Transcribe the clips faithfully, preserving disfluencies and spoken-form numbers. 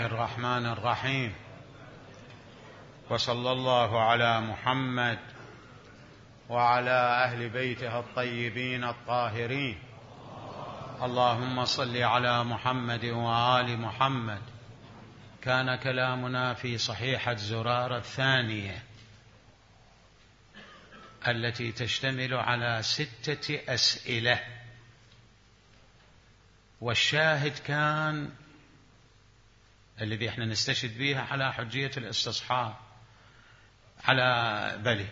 الله الرحمن الرحيم، وصلى الله على محمد وعلى أهل بيته الطيبين الطاهرين. اللهم صل على محمد وآل محمد. كان كلامنا في صحيحة زرارة الثانية التي تشتمل على ستة أسئلة، والشاهد كان الذي احنا نستشهد بها على حجية الاستصحاب على بلي.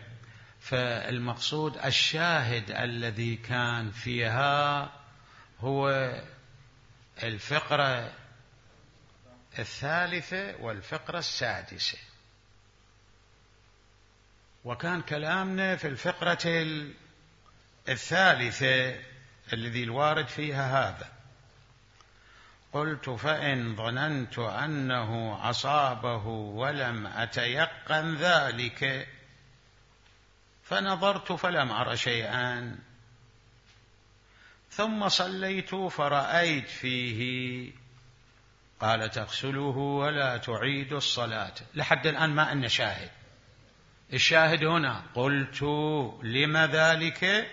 فالمقصود الشاهد الذي كان فيها هو الفقرة الثالثة والفقرة السادسة، وكان كلامنا في الفقرة الثالثة الذي الوارد فيها هذا: قلت فإن ظننت أنه أصابه ولم أتيقن ذلك فنظرت فلم أر شيئا، ثم صليت فرأيت فيه. قال: تغسله ولا تعيد الصلاة. لحد الآن ما أن شاهد. الشاهد هنا: قلت لم ذلك؟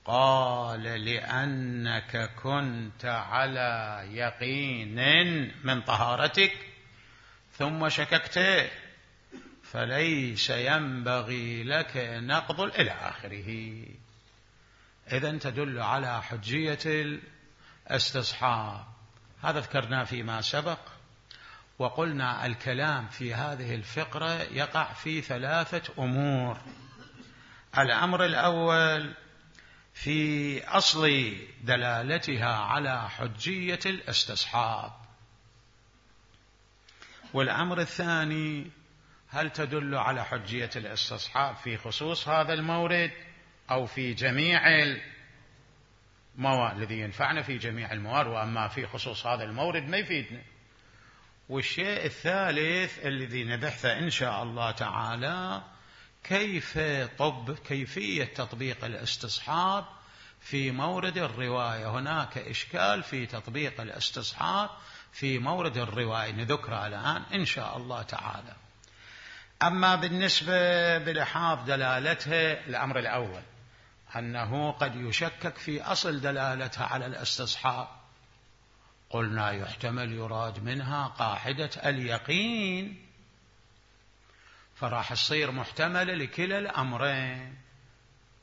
قال: لأنك كنت على يقين من طهارتك ثم شككت، فليس ينبغي لك نقض إلى آخره. إذن تدل على حجية الاستصحاب. هذا ذكرناه فيما سبق، وقلنا الكلام في هذه الفقرة يقع في ثلاثة أمور. الأمر الأول في أصل دلالتها على حجية الاستصحاب، والأمر الثاني هل تدل على حجية الاستصحاب في خصوص هذا المورد أو في جميع الموارد الذي ينفعنا في جميع الموارد، وأما في خصوص هذا المورد ما يفيدنا. والشيء الثالث الذي نبحثه إن شاء الله تعالى كيف طب كيفية تطبيق الاستصحاب في مورد الرواية. هناك إشكال في تطبيق الاستصحاب في مورد الرواية نذكره الآن إن شاء الله تعالى. أما بالنسبة بلحاظ دلالتها، الأمر الأول أنه قد يشكك في أصل دلالتها على الاستصحاب. قلنا يحتمل يراد منها قاعدة اليقين، فراح تصير محتملة لكلا الأمرين،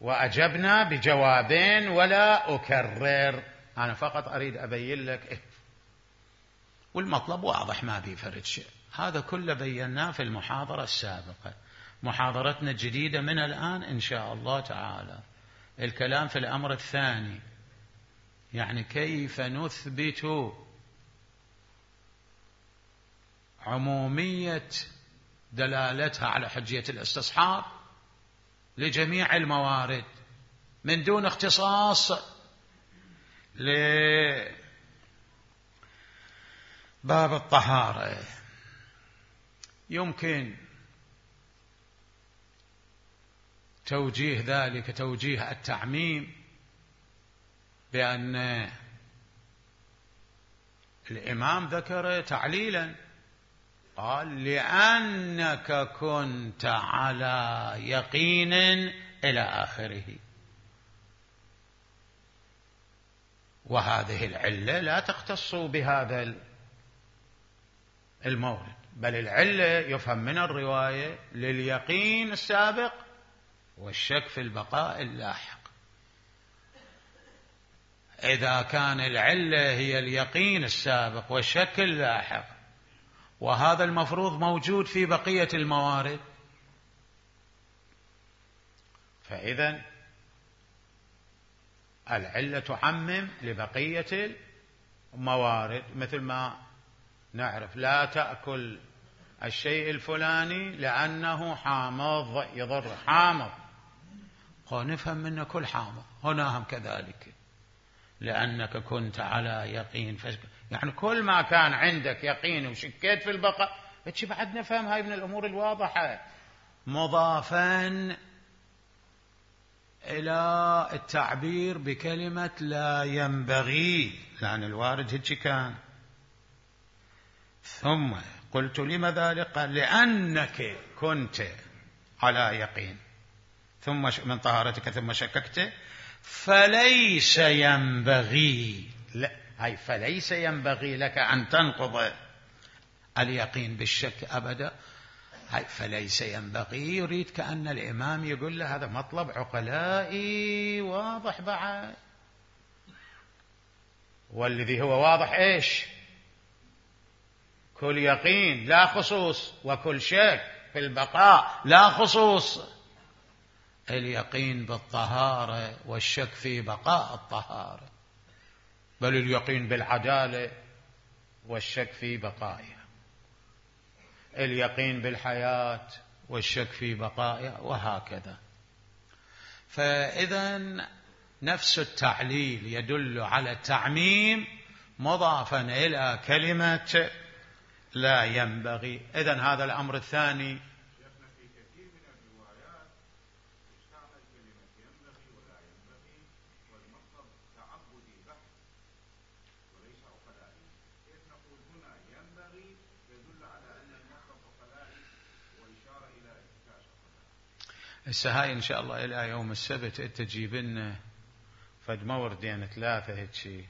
وأجبنا بجوابين ولا أكرر. أنا فقط أريد أبين لك إيه، والمطلب واضح ما بيفرد شيء. هذا كله بيناه في المحاضرة السابقة. محاضرتنا الجديدة من الآن إن شاء الله تعالى الكلام في الأمر الثاني، يعني كيف نثبت عمومية دلالتها على حجية الاستصحاب لجميع الموارد من دون اختصاص لباب الطهارة. يمكن توجيه ذلك توجيه التعميم بأن الإمام ذكر تعليلا، قال: لأنك كنت على يقين إلى آخره. وهذه العلة لا تختص بهذا المورد، بل العلة يفهم من الرواية لليقين السابق والشك في البقاء اللاحق. إذا كان العلة هي اليقين السابق والشك اللاحق، وهذا المفروض موجود في بقية الموارد، فإذن العلة تعمم لبقية الموارد. مثل ما نعرف لا تأكل الشيء الفلاني لأنه حامض يضر، حامض نفهم منه كل حامض. هنا هم كذلك، لأنك كنت على يقين، يعني كل ما كان عندك يقين وشكيت في البقاء. فتشي بعد نفهم هاي من الأمور الواضحة، مضافا إلى التعبير بكلمة لا ينبغي، لأن الوارد هيك كان ثم قلت لم ذلك؟ قال لأنك كنت على يقين ثم من طهارتك ثم شككت فليس ينبغي، لا هاي فليس ينبغي لك أن تنقض اليقين بالشك أبدا. هاي فليس ينبغي يريد كأن الإمام يقول له هذا مطلب عقلائي واضح بعد، والذي هو واضح إيش؟ كل يقين لا خصوص، وكل شك في البقاء لا خصوص. اليقين بالطهارة والشك في بقاء الطهارة، بل اليقين بالعدالة والشك في بقائها، اليقين بالحياة والشك في بقائها، وهكذا. فإذا نفس التعليل يدل على التعميم مضافا إلى كلمة لا ينبغي. إذن هذا الأمر الثاني. في كثير من الروايات استعمل كلمة ينبغي ولا ينبغي والمطلب تعبدي بحت وليس عقلائي. كيف نقول هنا ينبغي يدل على أن المطلب عقلائي وإشارة إلى إثبات عقلائي. هسه هاي إن شاء الله إلى يوم السبت أنت تجيب لنا فد موردين ثلاثة هيك شيء.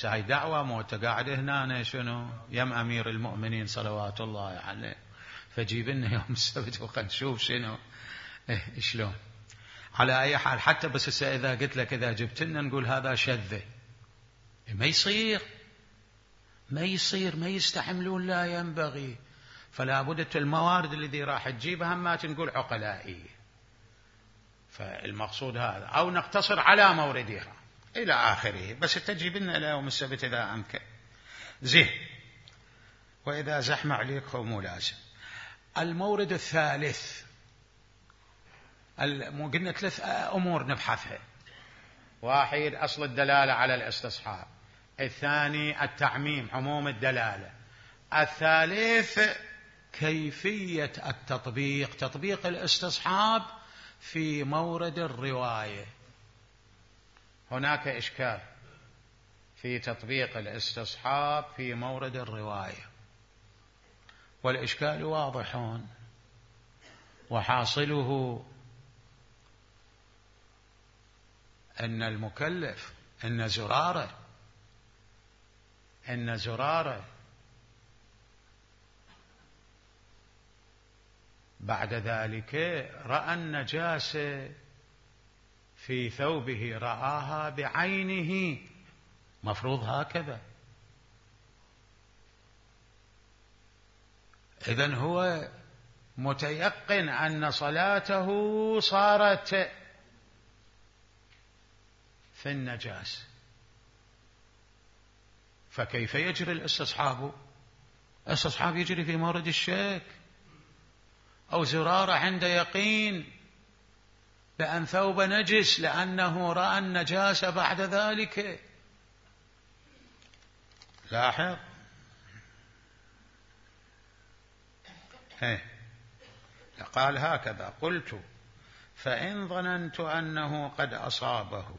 هاي دعوة موت قاعد هنا شنو يم أمير المؤمنين صلوات الله عليه، فجيب لنا يوم السبت وقد نشوف شنو إيه شلون. على أي حال حتى بس إذا قلت لك إذا جبت لنا نقول هذا شذة، ما يصير ما يصير ما يستحملون لا ينبغي. فلا بد الموارد الذي راح تجيبها ما تنقول عقلائي. فالمقصود هذا، أو نقتصر على موردها إلى آخره، بس تجيب لنا إلى يوم السبت إذا أمكن. زين. وإذا زحمة عليك هو مو لازم. المورد الثالث، قلنا ثلاث أمور نبحثها. واحد أصل الدلالة على الاستصحاب، الثاني التعميم عموم الدلالة، الثالث كيفية التطبيق، تطبيق الاستصحاب في مورد الرواية. هناك إشكال في تطبيق الاستصحاب في مورد الرواية، والإشكال واضح، وحاصله أن المكلف أن زرارة أن زرارة بعد ذلك رأى النجاسة في ثوبه، رآها بعينه، مفروض هكذا. إذن هو متيقن أن صلاته صارت في النجاسة، فكيف يجري الاستصحاب؟ الاستصحاب يجري في مورد الشك. أو زرارة عند يقين بأن ثوب نجس لأنه رأى النجاسة بعد ذلك. لاحظ هيه. قال هكذا: قلت فإن ظننت أنه قد أصابه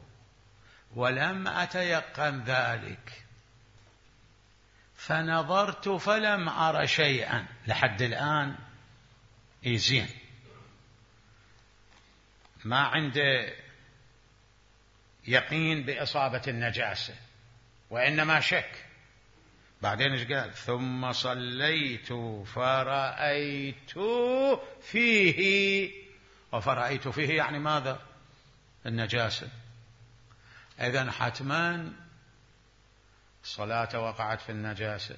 ولم أتيقن ذلك فنظرت فلم أر شيئا. لحد الآن إيزين ما عنده يقين بإصابة النجاسة وإنما شك. بعدين ايش قال؟ ثم صليت فرأيت فيه. وفرأيت فيه يعني ماذا؟ النجاسة. إذن حتما الصلاة وقعت في النجاسة.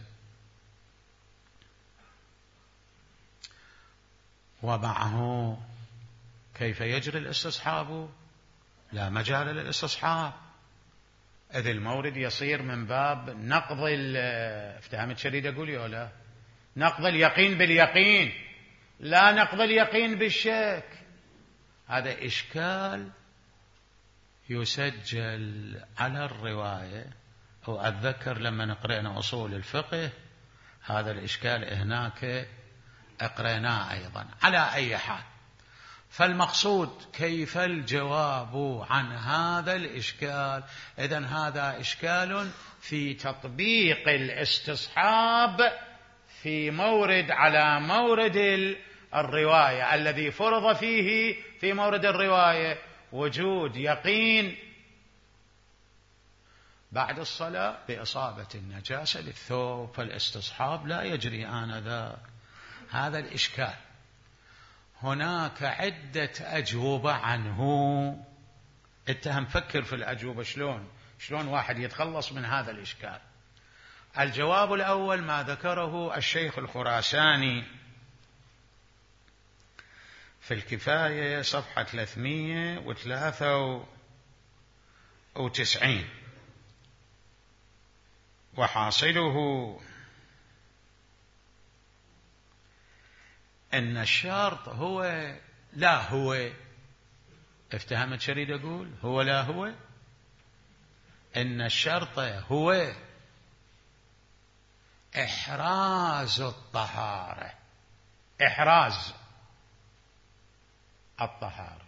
ومعه كيف يجري الاستصحاب؟ لا مجال للاستصحاب، إذ المورد يصير من باب نقض افتهمت شريد أقول يا لا نقض اليقين باليقين، لا نقض اليقين بالشك. هذا إشكال يسجل على الرواية. وأتذكر لما قرأنا أصول الفقه هذا الإشكال هناك أقرأناه أيضا. على أي حال، فالمقصود كيف الجواب عن هذا الإشكال؟ إذن هذا إشكال في تطبيق الاستصحاب في مورد على مورد الرواية الذي فرض فيه في مورد الرواية وجود يقين بعد الصلاة بإصابة النجاسة للثوب، فالاستصحاب لا يجري آنذاك. هذا الإشكال. هناك عدة أجوبة عنه، أنت هم فكر في الأجوبة شلون شلون واحد يتخلص من هذا الإشكال. الجواب الأول ما ذكره الشيخ الخراساني في الكفاية صفحة ثلاثمئة وثلاثة وتسعين، وحاصله أن الشرط هو لا هو. افتهمت شريد أقول هو لا هو، أن الشرط هو إحراز الطهارة، إحراز الطهارة،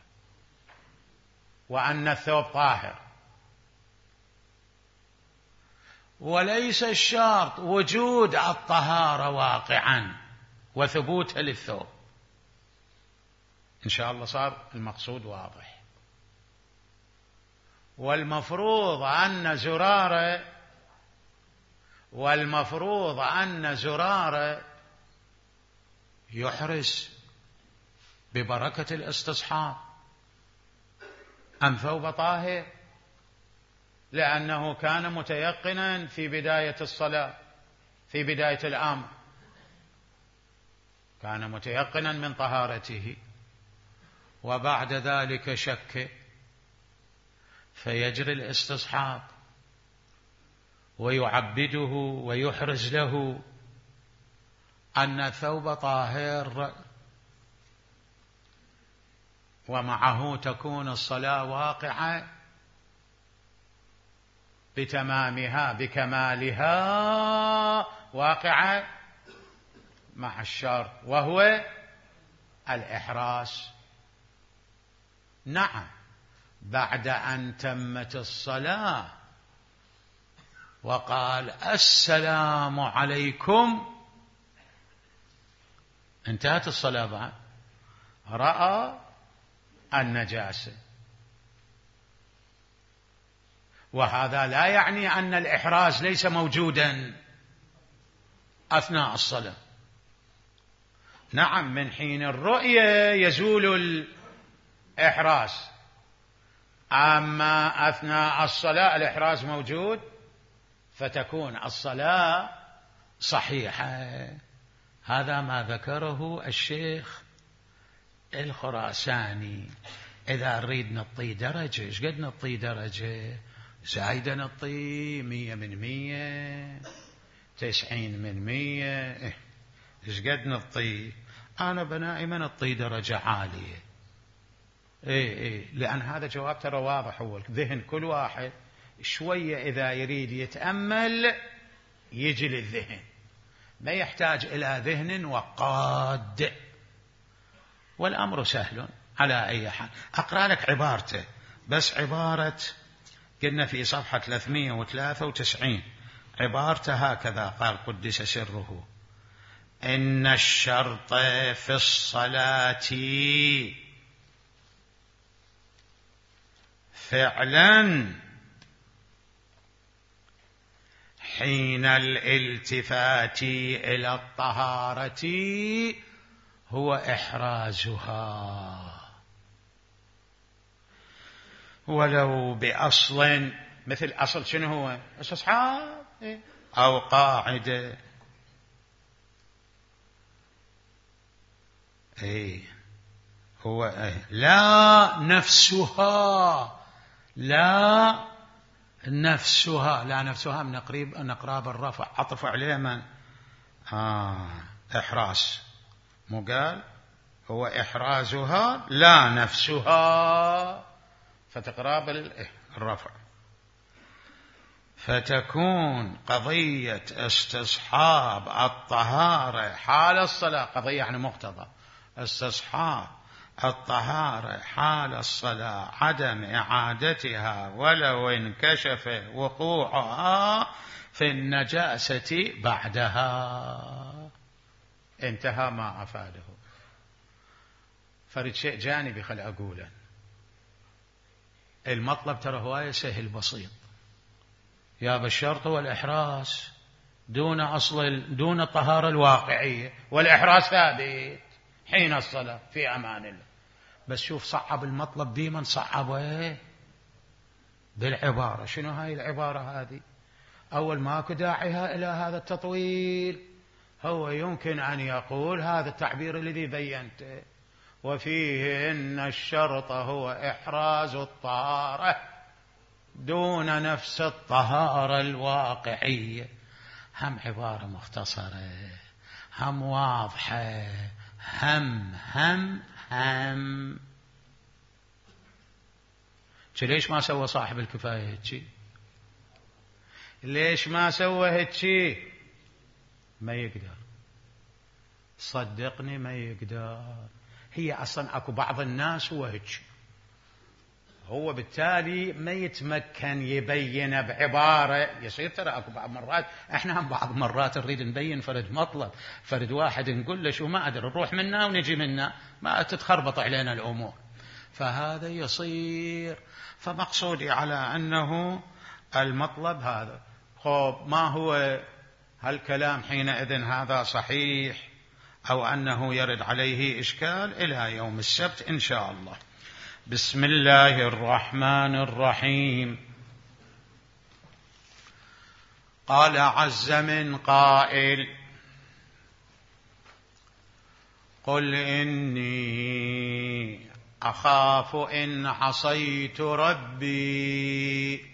وأن الثوب طاهر، وليس الشرط وجود الطهارة واقعا وثبوتها للثوب. إن شاء الله صار المقصود واضح. والمفروض أن زرارة والمفروض أن زرارة يحرز ببركة الاستصحاب أن ثوب طاهر، لأنه كان متيقنا في بداية الصلاة، في بداية الأمر كان متيقنا من طهارته، وبعد ذلك شك، فيجري الاستصحاب ويعبده ويحرز له أن الثوب طاهر، ومعه تكون الصلاة واقعة بتمامها بكمالها، واقعة مع الشرط وهو الإحراز. نعم، بعد أن تمت الصلاة وقال السلام عليكم، انتهت الصلاة بعد، رأى النجاسة، وهذا لا يعني أن الإحراز ليس موجودا أثناء الصلاة. نعم، من حين الرؤية يزول الإحراز، أما أثناء الصلاة الإحراز موجود، فتكون الصلاة صحيحة. هذا ما ذكره الشيخ الخراساني. إذا نريد نطي درجة، إيش قد نطي درجة؟ زايدة نطي مية من مية، تسعين من مية، إيش قد نطي؟ أنا بنائما نطي درجة عالية. إيه إيه لأن هذا جواب ترى واضح. هو ذهن كل واحد شوية إذا يريد يتأمل يجي للذهن، ما يحتاج إلى ذهن وقاد، والأمر سهل على أي حال. أقرأ لك عبارته، بس عبارة قلنا في صفحة ثلاثمئة وثلاثة وتسعين، عبارته هكذا قال قدس سره: إن الشرط في الصلاة فعلا حين الالتفات إلى الطهارة هو إحرازها، ولو بأصل، مثل أصل شنو هو؟ استصحاب أو قاعدة. إيه هو إيه لا نفسها، لا نفسها، لا نفسها من قريب نقراب الرفع، عطف عليه من آه إحراز، مو قال هو إحرازها لا نفسها، فتقراب الرفع، فتكون قضية استصحاب الطهارة حال الصلاة، قضية يعني مقتضى استصحاب الطهارة حال الصلاة عدم إعادتها ولو انكشف وقوعها في النجاسة بعدها. انتهى ما أفاده. فرد شيء جانبي خل أقوله، المطلب ترى هواية سهل بسيط، يا بالشرط والإحراز دون أصل دون الطهارة الواقعية، والإحراز ثابت حين الصلاة في أمان الله. بس شوف صعب المطلب بمن صعبه بالعبارة. شنو هاي العبارة هذه؟ أول ماكو داعيها إلى هذا التطويل، هو يمكن أن يقول هذا التعبير الذي بينته، وفيه إن الشرط هو إحراز الطهارة دون نفس الطهارة الواقعية. هم عبارة مختصرة، هم واضحة، هم هم هم ليش ما سوى صاحب الكفاية هيك؟ ليش ما سوى هيك؟ ما يقدر، صدقني ما يقدر. هي أصلا أكو بعض الناس هو هيك، هو بالتالي ما يتمكن يبين بعبارة. يصير ترى أكو بعض مرات إحنا هم بعض مرات نريد نبين فرد مطلب، فرد واحد نقول له شو ما أدري نروح منا ونجي منا، ما تتخربط علينا الأمور، فهذا يصير. فمقصودي على أنه المطلب هذا. خب ما هو هالكلام حينئذ هذا صحيح أو أنه يرد عليه إشكال؟ إلى يوم السبت إن شاء الله. بسم الله الرحمن الرحيم. قال عز من قائل: قل إني أخاف إن عصيت ربي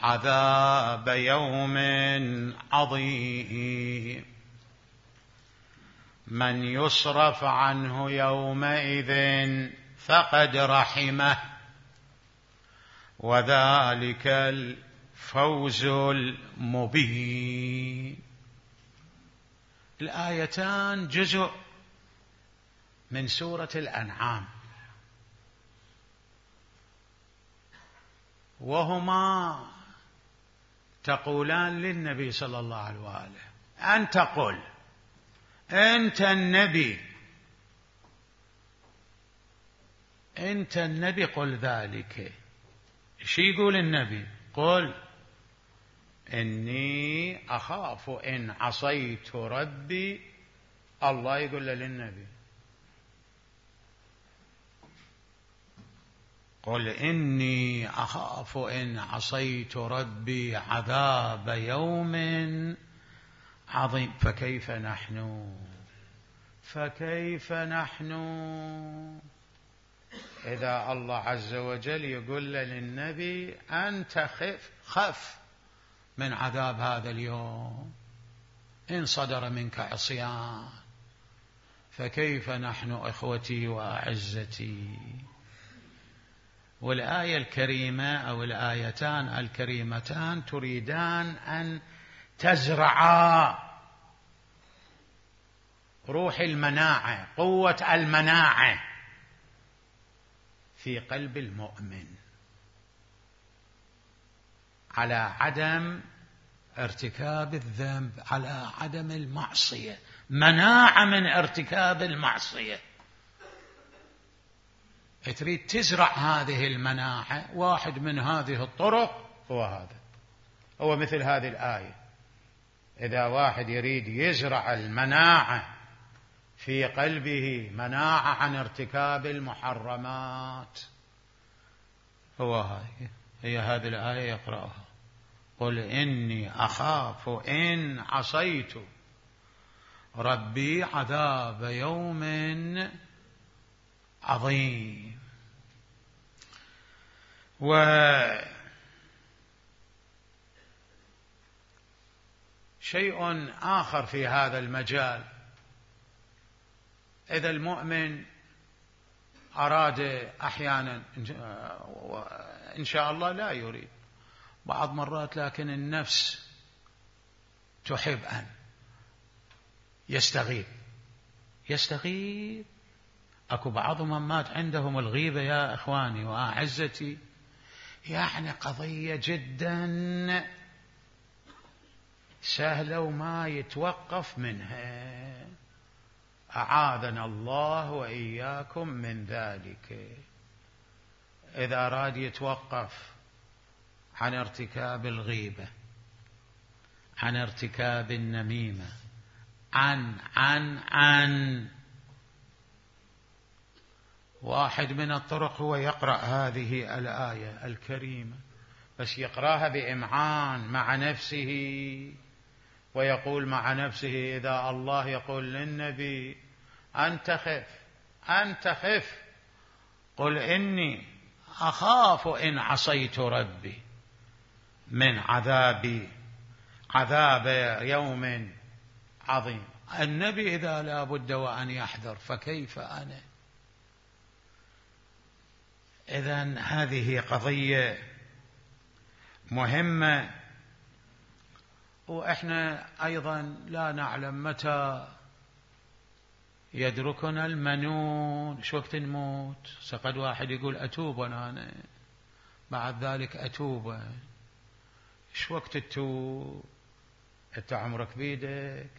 عذاب يوم عظيم من يصرف عنه يومئذ فقد رحمه وذلك الفوز المبين. الآيتان جزء من سورة الأنعام، وهما تقولان للنبي صلى الله عليه وآله: أنت قل، أنت النبي، أنت النبي قل ذلك. شو يقول النبي؟ قل إني أخاف إن عصيت ربي. الله يقول له للنبي: قل إني أخاف إن عصيت ربي عذاب يوم عظيم. فكيف نحن فكيف نحن إذا الله عز وجل يقول للنبي: أنت خف خف من عذاب هذا اليوم إن صدر منك عصيان. فكيف نحن إخوتي وأعزتي؟ والآية الكريمة أو الآيتان الكريمتان تريدان أن تزرعا روح المناعة، قوة المناعة في قلب المؤمن على عدم ارتكاب الذنب، على عدم المعصية، مناعة من ارتكاب المعصية. تريد تزرع هذه المناعة، واحد من هذه الطرق هو هذا، هو مثل هذه الآية. إذا واحد يريد يزرع المناعة في قلبه، مناعة عن ارتكاب المحرمات، هو هاي هي هذه الآية يقرأها: قل إني أخاف إن عصيت ربي عذاب يوم عظيم. وشيء آخر في هذا المجال: إذا المؤمن أراد أحيانا إن شاء الله لا يريد بعض مرات، لكن النفس تحب أن يستغيب يستغيب أكو بعضهم مات عندهم الغيبة يا إخواني وأعزتي، يعني قضية جدا سهلة وما يتوقف منها، أعاذنا الله وإياكم من ذلك. إذا أراد يتوقف عن ارتكاب الغيبة، عن ارتكاب النميمة، عن عن عن واحد من الطرق هو يقرأ هذه الآية الكريمة، بس يقرأها بإمعان مع نفسه، ويقول مع نفسه إذا الله يقول للنبي أنت خف أنت خف قل إني أخاف إن عصيت ربي من عذابي عذاب يوم عظيم. النبي إذا لا بد وأن يحذر فكيف أنا؟ إذن هذه قضية مهمة، وإحنا أيضا لا نعلم متى يدركنا المنون، شو وقت نموت. سقد واحد يقول أتوب أنا بعد ذلك أتوب، شو وقت تتوب؟ أنت عمرك بيدك،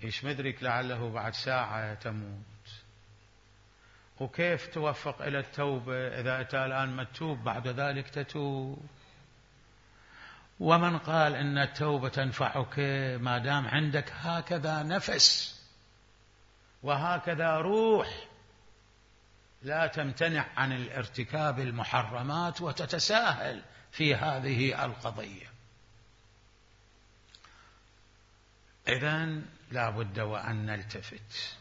إيش مدرك لعله بعد ساعة تموت. وكيف توفق إلى التوبة إذا أنت الآن ما تتوب بعد ذلك تتوب؟ ومن قال إن التوبة تنفعك ما دام عندك هكذا نفس وهكذا روح، لا تمتنع عن الارتكاب المحرمات وتتساهل في هذه القضية. إذن لا بد وأن نلتفت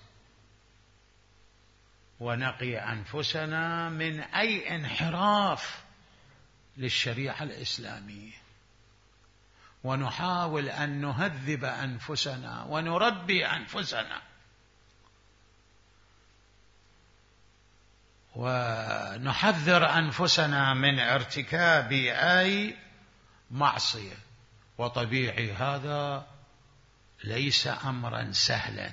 ونقي أنفسنا من أي انحراف للشريعة الإسلامية، ونحاول أن نهذب أنفسنا ونربي أنفسنا، ونحذر أنفسنا من ارتكاب أي معصية. وطبيعي هذا ليس أمرا سهلا،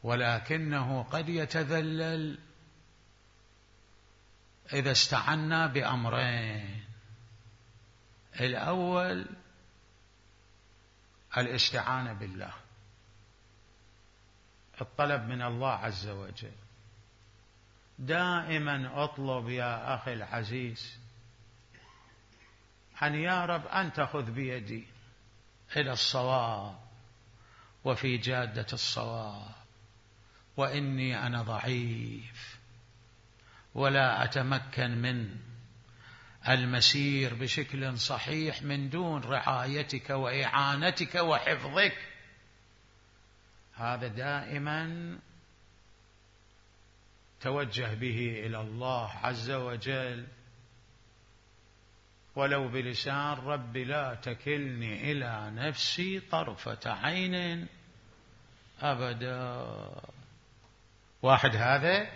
ولكنه قد يتذلل إذا استعنا بأمرين: الأول الاستعانة بالله، الطلب من الله عز وجل. دائما اطلب يا أخي العزيز أن يا رب أن تأخذ بيدي إلى الصواب وفي جادة الصواب، وإني أنا ضعيف ولا أتمكن من المسير بشكل صحيح من دون رعايتك وإعانتك وحفظك. هذا دائما توجه به إلى الله عز وجل، ولو بلسان رب لا تكلني إلى نفسي طرفة عين أبدا. واحد هذا.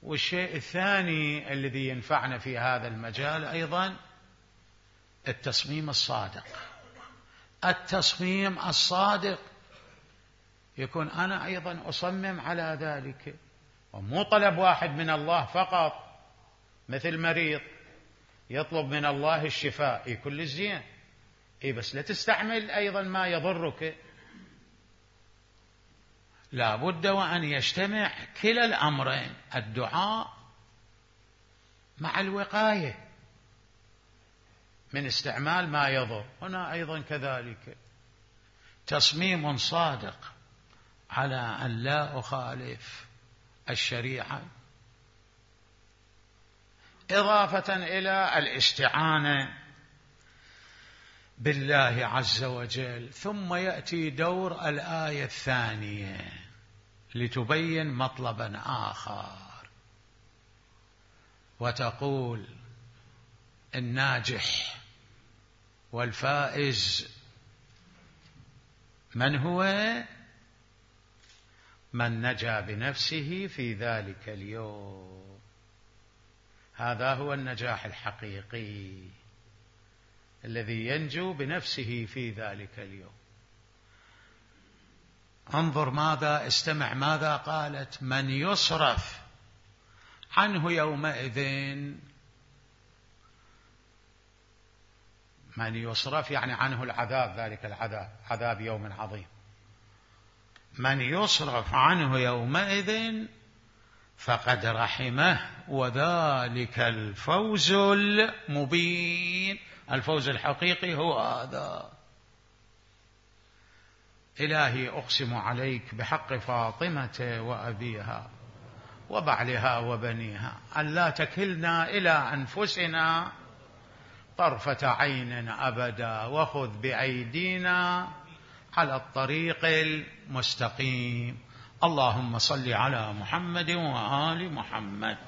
والشيء الثاني الذي ينفعنا في هذا المجال أيضا التصميم الصادق. التصميم الصادق يكون أنا أيضا أصمم على ذلك، ومو طلب واحد من الله فقط، مثل مريض يطلب من الله الشفاء، إيه كل الزين، إيه بس لا تستعمل أيضا ما يضرك. لا بد وأن يجتمع كلا الأمرين، الدعاء مع الوقاية من استعمال ما يضر. هنا أيضا كذلك تصميم صادق على أن لا أخالف الشريعة، إضافة إلى الاستعانة بالله عز وجل. ثم يأتي دور الآية الثانية لتبين مطلبا آخر، وتقول الناجح والفائز من هو؟ من نجا بنفسه في ذلك اليوم. هذا هو النجاح الحقيقي الذي ينجو بنفسه في ذلك اليوم. انظر ماذا، استمع ماذا قالت: من يصرف عنه يومئذ من يصرف يعني عنه العذاب، ذلك العذاب عذاب يوم عظيم. من يصرف عنه يومئذ فقد رحمه وذلك الفوز المبين. الفوز الحقيقي هو هذا. إلهي أقسم عليك بحق فاطمة وأبيها وبعلها وبنيها أن لا تكلنا إلى أنفسنا طرفة عين أبدا، وخذ بأيدينا على الطريق المستقيم. اللهم صل على محمد وآل محمد.